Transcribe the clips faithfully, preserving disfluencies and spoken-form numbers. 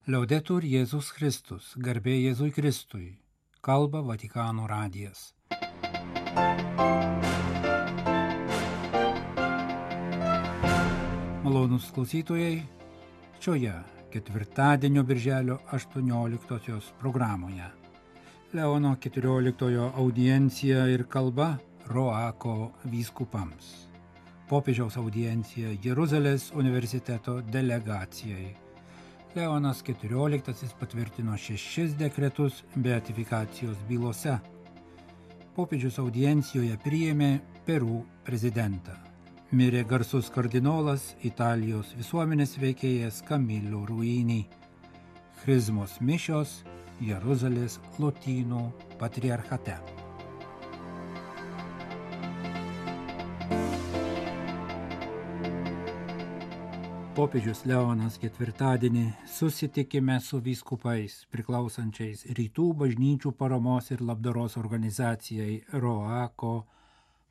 Liaudetur Jėzus Kristus, garbė Jėzui Kristui, kalba Vatikano radijas. Malonūs klausytojai, šioje ketvirtadienio birželio aštuonioliktosios programoje Leono keturioliktojo audiencija ir kalba Roako vyskupams. Popiežiaus audiencija Jeruzalės universiteto delegacijai. Leonas keturioliktasis patvirtino šešis dekretus beatifikacijos bylose. Popiežius audiencijoje priėmė Peru prezidentą. Mirė garsus kardinolas Italijos visuomenės veikėjas Camillo Ruini. Chrizmos mišios Jeruzalės Lotynų patriarchate. Popiežius Leonas ketvirtadienį susitikime su vyskupais priklausančiais Rytų bažnyčių paramos ir labdaros organizacijai Roako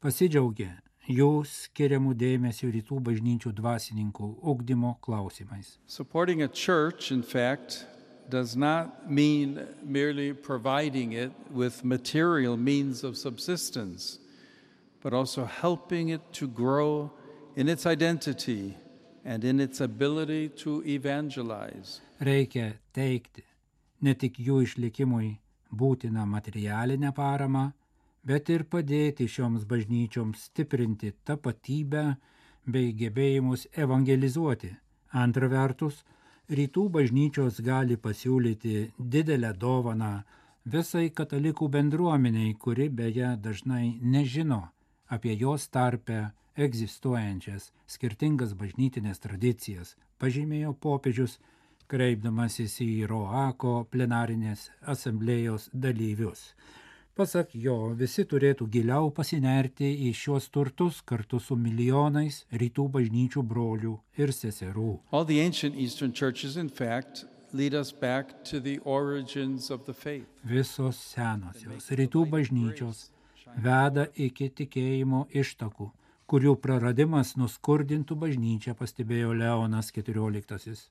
pasidžiaugė jų skiriamų dėmesių Rytų bažnyčių dvasininkų ugdymo klausimais. Supporting a church, in fact, does not mean merely providing it with material means of subsistence, but also helping it to grow in its identity and in its ability to evangelize. Reikia teikti ne tik jų išlikimui būtiną materialinę paramą, bet ir padėti šioms bažnyčioms stiprinti tapatybę bei gebėjimus evangelizuoti. Antra vertus, Rytų bažnyčios gali pasiūlyti didelę dovaną visai katalikų bendruomeniai, kuri beje dažnai nežino apie jos tarpe egzistuojančias skirtingas bažnytinės tradicijas, pažymėjo popiežius, kreipdamasis į Roako plenarinės asamblėjos dalyvius. Pasak jo, visi turėtų giliau pasinerti į šios turtus kartu su milijonais Rytų bažnyčių brolių ir seserų. All the ancient Eastern churches, in fact, lead us back to the origins of the faith. Visos senosios Rytų bažnyčios veda iki tikėjimo ištakų, kurių praradimas nuskurdintų bažnyčią, pastebėjo Leonas keturioliktasis.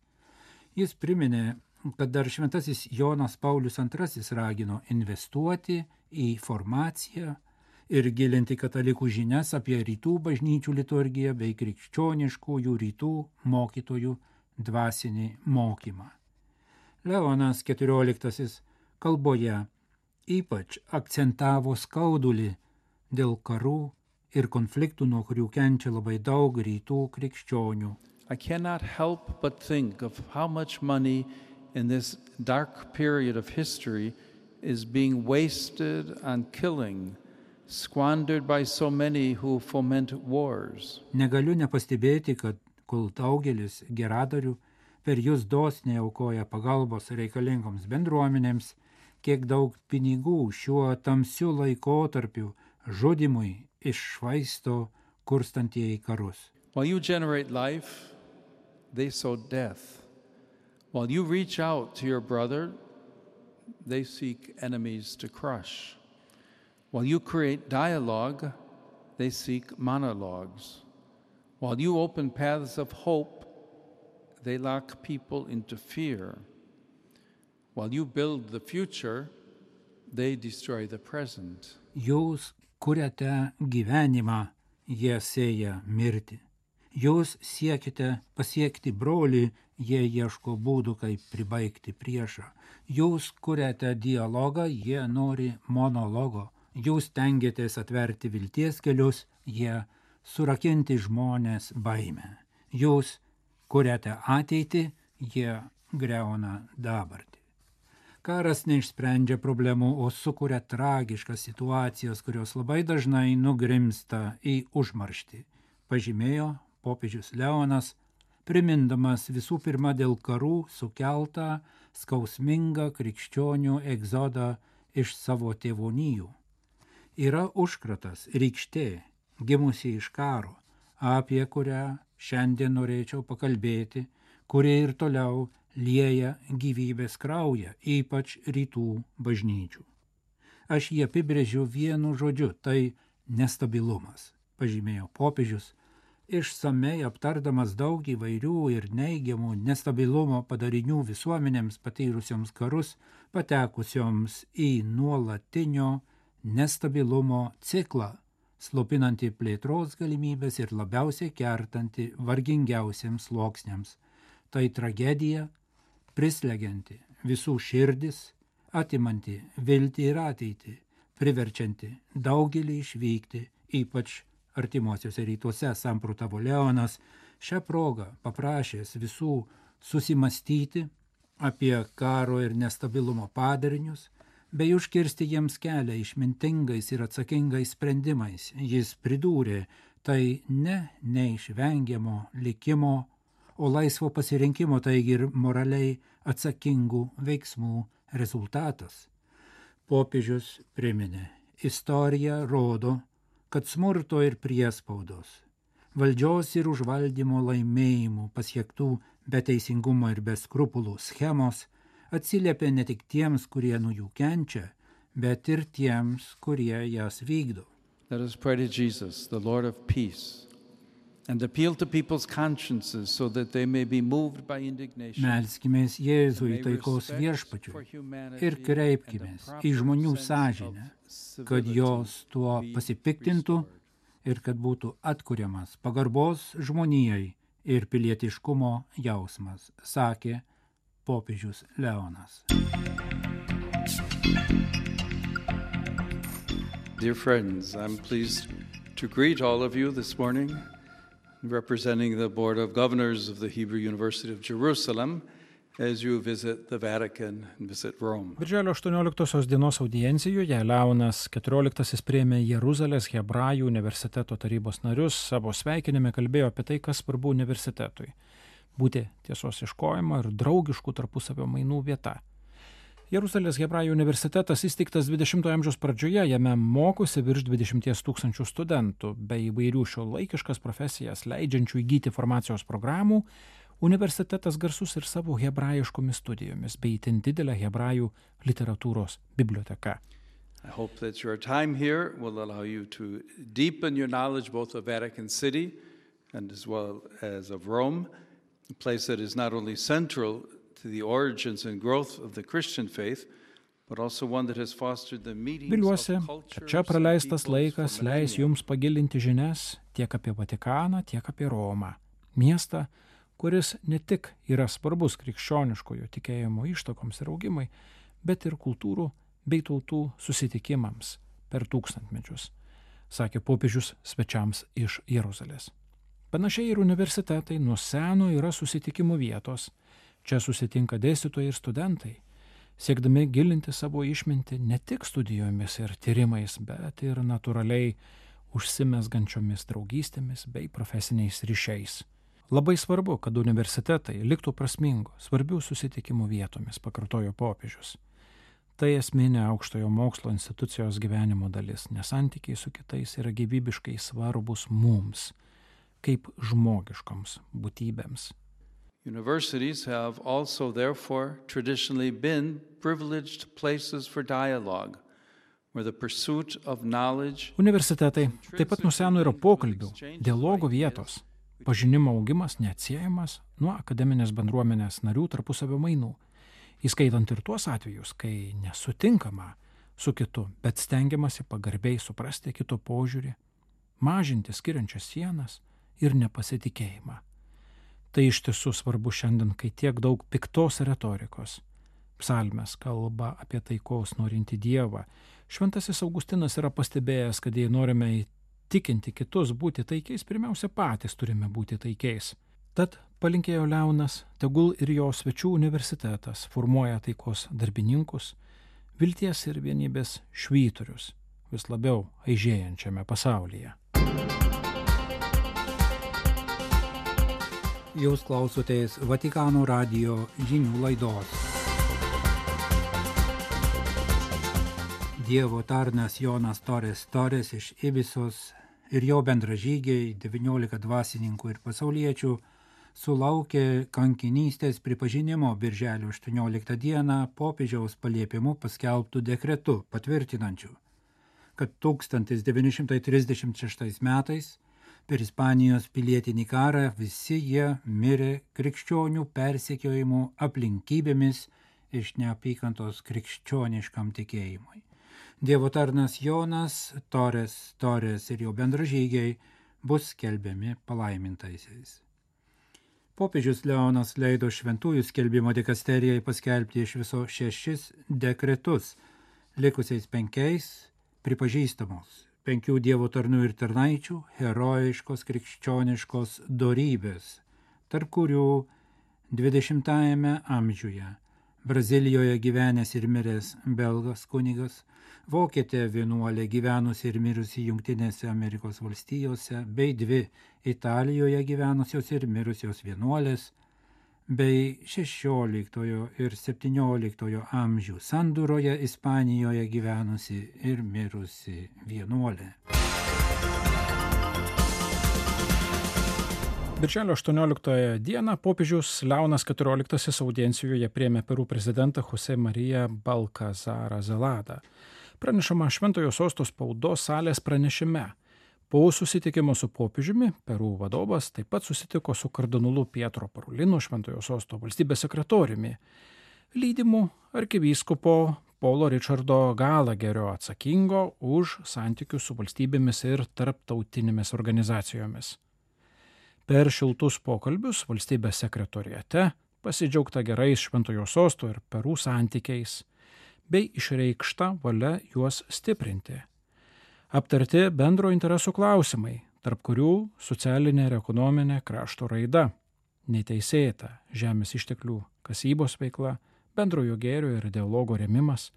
Jis priminė, kad dar šventasis Jonas Paulius antrasis ragino investuoti į formaciją ir gilinti katalikų žinias apie Rytų bažnyčių liturgiją bei krikščioniškųjų rytų mokytojų dvasinį mokymą. Leonas keturioliktasis kalboje ypač akcentavo skaudulį dėl karų ir konfliktų, nuo kurių kenčia labai daug rytų krikščionių. I cannot help but think of how much money in this dark period of history is being wasted on killing, squandered by so many who foment wars. Negaliu nepastebėti, kad kol daugelis geradarių per jūs dosniai aukoja pagalbos reikalingoms bendruomenėms, kiek daug pinigų šiuo tamsiu laikotarpiu žudimui iššvaisto kurstantieji karus. While you generate life, they sow death. While you reach out to your brother, they seek enemies to crush. While you create dialogue, they seek monologues. While you open paths of hope, they lock people into fear. While you build the future, they destroy the present. Jūs kuriate gyvenimą, jie sėja mirtį. Jūs siekite pasiekti brolį, jie ieško būdų, kaip pribaigti priešą. Jūs kuriate dialogą, jie nori monologo. Jūs tengiatės atverti vilties kelius, jie surakinti žmonės baimę. Jūs kuriate ateitį, jie griauna dabartį. Karas neišsprendžia problemų, o sukuria tragiškas situacijas, kurios labai dažnai nugrimsta į užmarštį, pažymėjo popiežius Leonas, primindamas visų pirma dėl karų sukeltą skausmingą krikščionių egzodą iš savo tėvonijų. Yra užkratas, rykštė, gimusi iš karo, apie kurią šiandien norėčiau pakalbėti, kurie ir toliau lieja gyvybės kraują, ypač rytų bažnyčių. Aš jį apibrėžiu vienu žodžiu, tai nestabilumas, pažymėjo popiežius, išsamei aptardamas daug įvairių ir neigiamų nestabilumo padarinių visuomenėms patyrusioms karus, patekusioms į nuolatinio nestabilumo ciklą, slopinantį plėtros galimybės ir labiausiai kertantį vargingiausiems sluoksniams. Tai tragedija, prislegianti visų širdis, atimanti viltį ir ateitį, priverčianti daugelį išvykti, ypač artimuosiuose rytuose, samprotavo Leonas, šią progą paprašęs visų susimastyti apie karo ir nestabilumo padarinius, bei užkirsti jiems kelią išmintingais ir atsakingais sprendimais. Jis pridūrė, tai ne neišvengiamo likimo, o laisvo pasirinkimo, taigi ir moraliai atsakingų veiksmų rezultatas. Popiežius priminė, istorija rodo, kad smurto ir priespaudos, valdžios ir užvaldymo laimėjimų pasiektų be teisingumo ir be skrupulų schemos atsiliepia ne tik tiems, kurie nuo jų kenčia, bet ir tiems, kurie jas vykdo. Let us pray to Jesus, the Lord of peace, and appeal to people's consciences so that they may be moved by indignation. Melskimės Jėzui taikos viešpačiui ir kreipkimės į žmonių sąžinę, kad jos tuo pasipiktintų ir kad būtų atkuriamas pagarbos žmonijai ir pilietiškumo jausmas, sakė popiežius Leonas. Dear friends, I'm pleased to greet all of you this morning, representing the Board of Governors of the Hebrew University of Jerusalem, as you visit the Vatican and visit Rome. Birželio aštuonioliktosios dienos audiencijoje Leonas keturioliktasis priėmė Jeruzalės Hebrajų universiteto tarybos narius, savo sveikinime kalbėjo apie tai, kas svarbu universitetui – būti tiesos ieškojimo ir draugiškų tarpusavio mainų vieta. Jeruzalės Hebrajų universitetas įsteigtas dvidešimtojo amžiaus pradžioje, jame mokosi virš dvidešimties tūkstančių studentų, bei įvairių šiuolaikiškas profesijas leidžiančių įgyti formacijos programų. Universitetas garsus ir savo hebrajiškomis studijomis, bei itin didelę hebrajų literatūros biblioteka. I hope that your time here will allow you to deepen your knowledge both of Vatican City and as well as of Rome, a place that is not only central to the origins and growth of the Christian faith, but also one that has fostered the meetings Viliuosi, of kad cultures čia and praleistas peoples laikas for leis millennia. jums pagilinti žinias tiek apie Vatikaną, tiek apie Romą, miestą, kuris ne tik yra svarbus krikščioniškojo tikėjimo ištakoms ir augimai, bet ir kultūrų bei tautų susitikimams per tūkstantmečius, sakė popiežius svečiams iš Jeruzalės. Panašiai ir universitetai nuo seno yra susitikimų vietos. Čia susitinka dėstytojai ir studentai, siekdami gilinti savo išmintį ne tik studijomis ir tyrimais, bet ir natūraliai užsimezgančiomis draugystėmis bei profesiniais ryšiais. Labai svarbu, kad universitetai liktų prasmingo, svarbių susitikimų vietomis, pakartojo popiežius. Tai esminė aukštojo mokslo institucijos gyvenimo dalis, nes santykiai su kitais yra gyvybiškai svarbus mums, kaip žmogiškoms būtybėms. Universities have also, therefore, traditionally been privileged places for dialogue, where the pursuit of knowledge. Universitetai taip pat nuo seno yra pokalbių, dialogo vietos. Pažinimo augimas neatsiejamas nuo akademinės bendruomenės narių tarpusavio mainų, įskaitant ir tuos atvejus, kai nesutinkama su kitu, bet stengiamasi pagarbiai suprasti kito požiūrį, mažinti skiriančias sienas ir nepasitikėjimą. Tai iš tiesų svarbu šiandien, kai tiek daug piktos retorikos. Psalmės kalba apie taikos norintį Dievą. Šventasis Augustinas yra pastebėjęs, kad jei norime įtikinti kitus būti taikiais, pirmiausia patys turime būti taikiais. Tad palinkėjo Leonas, tegul ir jo svečių universitetas formuoja taikos darbininkus, vilties ir vienybės švyturius vis labiau aižėjančiame pasaulyje. Jūs klausotės Vatikano radijo žinių laidos. Dievo tarnas Jonas Torres Torres iš Ibisos ir jo bendražygiai, devyniolika dvasininkų ir pasauliečių, sulaukė kankinystės pripažinimo birželio aštuonioliktą dieną popiežiaus paliepimu paskelbtų dekretu patvirtinančių, kad tūkstantis devyni šimtai trisdešimt šeštais metais Per Ispanijos pilietinį karą visi jie mirė krikščionių persekiojimų aplinkybėmis iš neapykantos krikščioniškam tikėjimui. Dievo tarnas Jonas, Torres, Torres ir jo bendražygiai bus skelbiami palaimintaisiais. Popiežius Leonas leido šventųjų skelbimo dikasterijai paskelbti iš viso šešis dekretus, likusiais penkiais pripažįstamos penkių dievo tarnų ir tarnaičių herojiškos krikščioniškos dorybės, tarp kurių dvidešimtajame amžiuje Brazilijoje gyvenęs ir miręs belgas kunigas, vokietė vienuolė gyvenusi ir mirusi Jungtinėse Amerikos valstijose, bei dvi Italijoje gyvenusios ir mirusios vienuolės, bei šešioliktojo ir septynioliktojo amžių sandūroje Ispanijoje gyvenusi ir mirusi vienuolė. Birželio aštuonioliktąją dieną popiežius Leonas keturioliktasis audiencijoje priėmė Peru prezidentą Jose Mariją Balkazarą Zeladą. Pranešama Šventojo sosto spaudos salės pranešime. Po susitikimo su popiežiumi Peru vadovas taip pat susitiko su kardinolu Pietro Parolinu, Šventojo sosto valstybės sekretoriumi, lydimu arkivyskupo Paulo Richardo Galagerio atsakingo už santykius su valstybėmis ir tarptautinėmis organizacijomis. Per šiltus pokalbius valstybės sekretoriate pasidžiaugta gerais Šventojo sosto ir Peru santykiais, bei išreikšta valia juos stiprinti. Aptarti bendro interesų klausimai, tarp kurių socialinė ir ekonominė krašto raida, neteisėta žemės išteklių kasybos veikla, bendrojo gėrio ir dialogo rėmimas,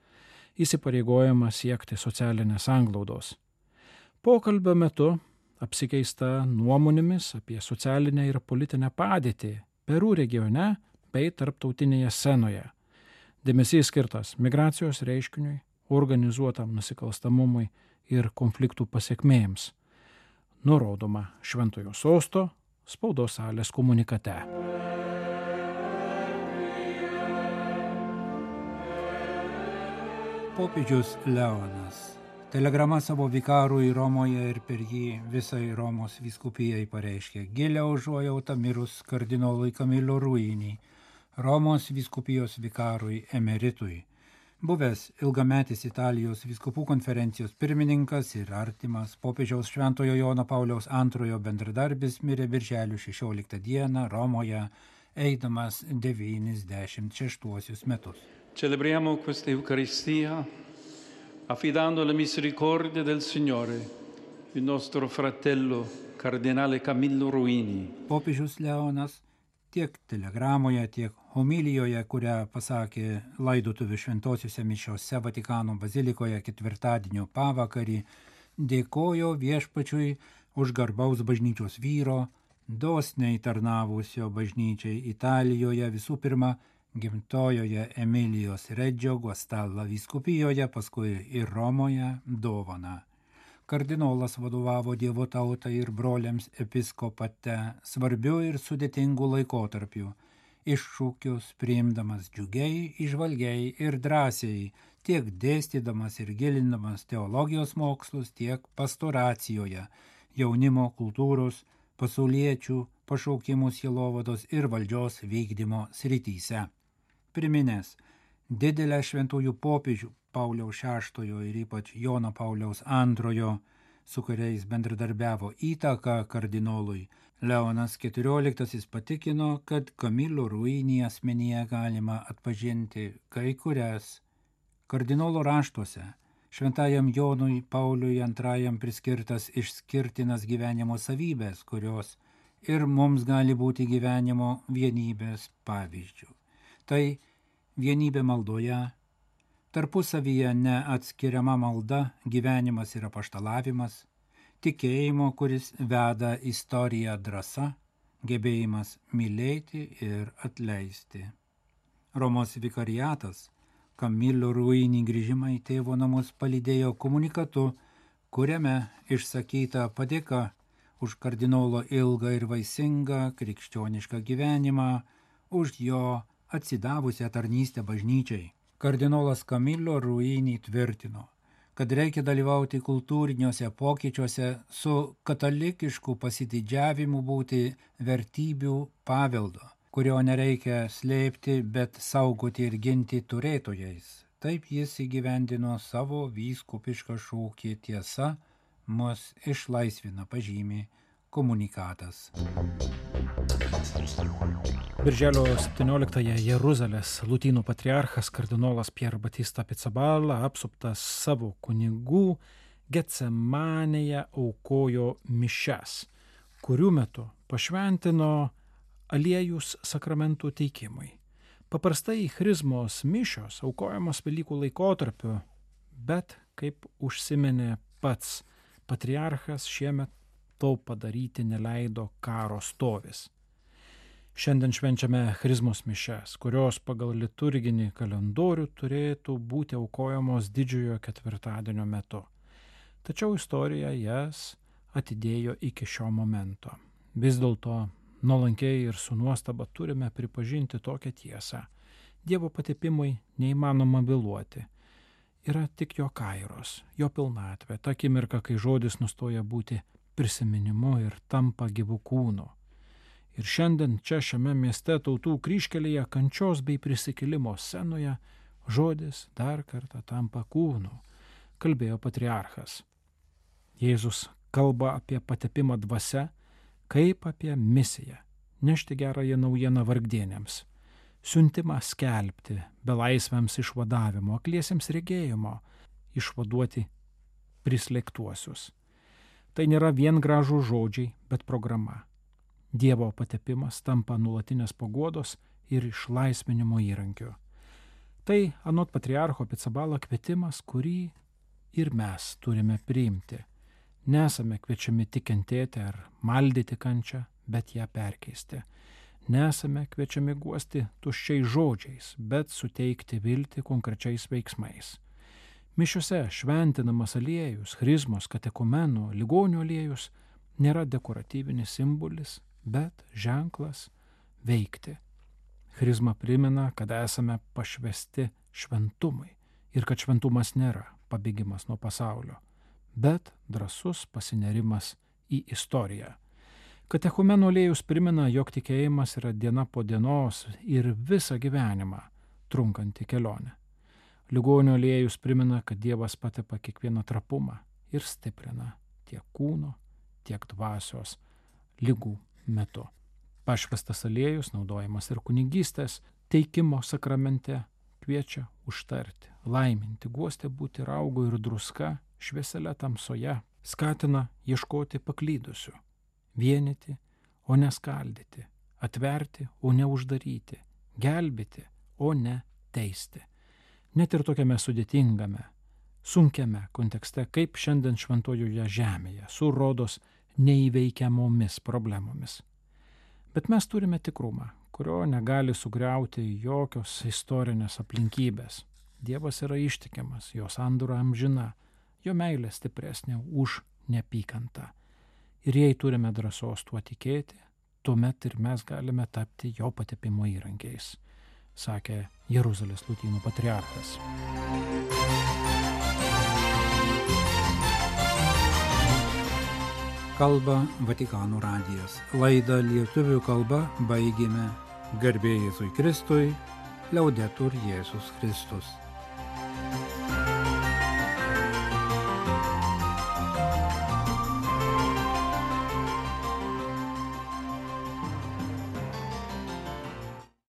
įsipareigojimas siekti socialinės sanglaudos. Pokalbio metu apsikeista nuomonėmis apie socialinę ir politinę padėtį Peru regione bei tarptautinėje scenoje. Dėmesys skirtas migracijos reiškiniui, organizuotam nusikalstamumui ir konfliktų pasiekmėms. Nurodoma Šventojo sosto spaudos salės komunikate. Popiežius Leonas telegrama savo vikarui Romoje ir per jį visai Romos vyskupijai pareiškė gilią užuojautą mirus kardinolui Camillo Ruini, Romos vyskupijos vikarui emeritui. Buvęs ilgametis Italijos vyskupų konferencijos pirmininkas ir artimas popiežiaus Šventojo Jono Pauliaus antrojo bendradarbis mirė birželio šešioliktą dieną Romoje, eidamas devyniasdešimt šeštuosius metus. Celebriamo questa Eucaristia affidando alla misericordia del Signore il nostro fratello cardinale Camillo Ruini. Popiežius Leonas tiek telegramoje, tiek homilijoje, kurią pasakė laidotuvių šventosiuose mišiose Vatikano bazilikoje ketvirtadienio pavakarį, dėkojo viešpačiui už garbaus bažnyčios vyro, dosniai tarnavusio bažnyčiai Italijoje, visų pirma gimtojoje Emilijos Redžio Guastalla vyskupijoje, paskui ir Romoje dovaną. Kardinolas vadovavo Dievo tautai ir broliams episkopate svarbiu ir sudėtingu laikotarpiu, iššūkius priimdamas džiugiai, įžvalgiai ir drąsiai, tiek dėstydamas ir gilindamas teologijos mokslus, tiek pastoracijoje, jaunimo, kultūros, pasauliečių, pašaukimų sielovados ir valdžios vykdymo srityse. Priminęs didelę šventųjų popiežių Pauliaus šeštojo ir ypač Jono Pauliaus antrojo, su kuriais bendradarbiavo įtaką kardinolui, Leonas keturioliktasis patikino, kad Camillo Ruini asmenyje galima atpažinti kai kurias kardinolo raštuose šventajam Jonui Pauliui antrajam priskirtas išskirtinas gyvenimo savybės, kurios ir mums gali būti gyvenimo vienybės pavyzdžių. Tai vienybė maldoje, tarpusavyje neatskiriama malda, gyvenimas ir apaštalavimas, tikėjimo, kuris veda istoriją drąsa, gebėjimas mylėti ir atleisti. Romos vikariatas Camillo Ruini grįžimą į tėvo namus palydėjo komunikatu, kuriame išsakyta padėka už kardinolo ilgą ir vaisingą krikščionišką gyvenimą, už jo atsidavusią tarnystę bažnyčiai. Kardinolas Camillo Ruini tvirtino, kad reikia dalyvauti kultūriniuose pokyčiuose, su katalikišku pasididžiavimu būti vertybių paveldo, kurio nereikia slėpti, bet saugoti ir ginti turėtojais. Taip jis įgyvendino savo vyskupišką šūkį tiesa mus išlaisvina, pažymi komunikatas. Birželio septynioliktąją Jeruzalės lotynų patriarchas kardinolas Pier Batista Pizzaballa, apsuptas savo kunigų, Getsemanėje aukojo mišias, kurių metu pašventino aliejus sakramentų teikimui. Paprastai chrizmos mišios aukojamos Velykų laikotarpiu, bet, kaip užsiminė pats patriarchas, šiemet to padaryti neleido karo stovis. Šiandien švenčiame chrizmos mišias, kurios pagal liturginį kalendorių turėtų būti aukojamos didžiojo ketvirtadienio metu. Tačiau istorija jas atidėjo iki šio momento. Vis dėlto nuolankiai ir su nuostaba turime pripažinti tokią tiesą. Dievo patepimui neįmanoma vėluoti. Yra tik jo kairos, jo pilnatvė, ta akimirka, kai žodis nustoja būti prisiminimu ir tampa gyvų kūnu. Ir šiandien čia šiame mieste Tautų kryžkelėje kančios bei prisikėlimo scenoje žodis dar kartą tampa kūnu, kalbėjo patriarchas. Jėzus kalba apie patepimą dvasia, kaip apie misiją, nešti gerąją naujieną vargdienėms, siuntimą skelbti belaisviams išvadavimo, akliesiems regėjimo, išvaduoti prislėgtuosius. Tai nėra vien gražų žodžiai, bet programa. Dievo patepimas tampa nuolatinės paguodos ir išlaisvinimo įrankiu. Tai anot patriarcho Pizzaballa kvietimas, kurį ir mes turime priimti. Nesame kviečiami tik kentėti ar maldyti kančią, bet ją perkeisti. Nesame kviečiami guosti tuščiais žodžiais, bet suteikti viltį konkrečiais veiksmais. Mišiose šventinamas aliejus, chrizmos, katekumenų, ligonių aliejus nėra dekoratyvinis simbolis, bet ženklas veikti. Chrizma primena, kad esame pašvesti šventumui ir kad šventumas nėra pabėgimas nuo pasaulio, bet drąsus pasinerimas į istoriją. Katechumeno aliejus primena, jog tikėjimas yra diena po dienos ir visą gyvenimą trunkanti kelionė. Ligonio aliejus primena, kad Dievas patepa kiekvieną trapumą ir stiprina tiek kūno, tiek dvasios ligų metu. Pašvestas aliejus, naudojamas ir kunigystės teikimo sakramente, kviečia užtarti, laiminti, guosti būti raugu ir druska, švieselė tamsoje, skatina ieškoti paklydusių, vienyti, o ne skaldyti, atverti, o ne uždaryti, gelbėti, o ne teisti. Net ir tokiame sudėtingame, sunkiame kontekste, kaip šiandien šventojoje žemėje, su rodos neįveikiamomis problemomis. Bet mes turime tikrumą, kurio negali sugriauti jokios istorinės aplinkybės. Dievas yra ištikimas, jo sandora amžina, jo meilė stipresnė už neapykantą. Ir jei turime drąsos tuo tikėti, tuomet ir mes galime tapti jo patepimo įrankiais, sakė Jeruzalės lotynų patriarchas. Kalba Vatikano radijas. Laidą lietuvių kalba baigėme. Garbė Jėzui Kristui, Liaudetur Jėzus Kristus.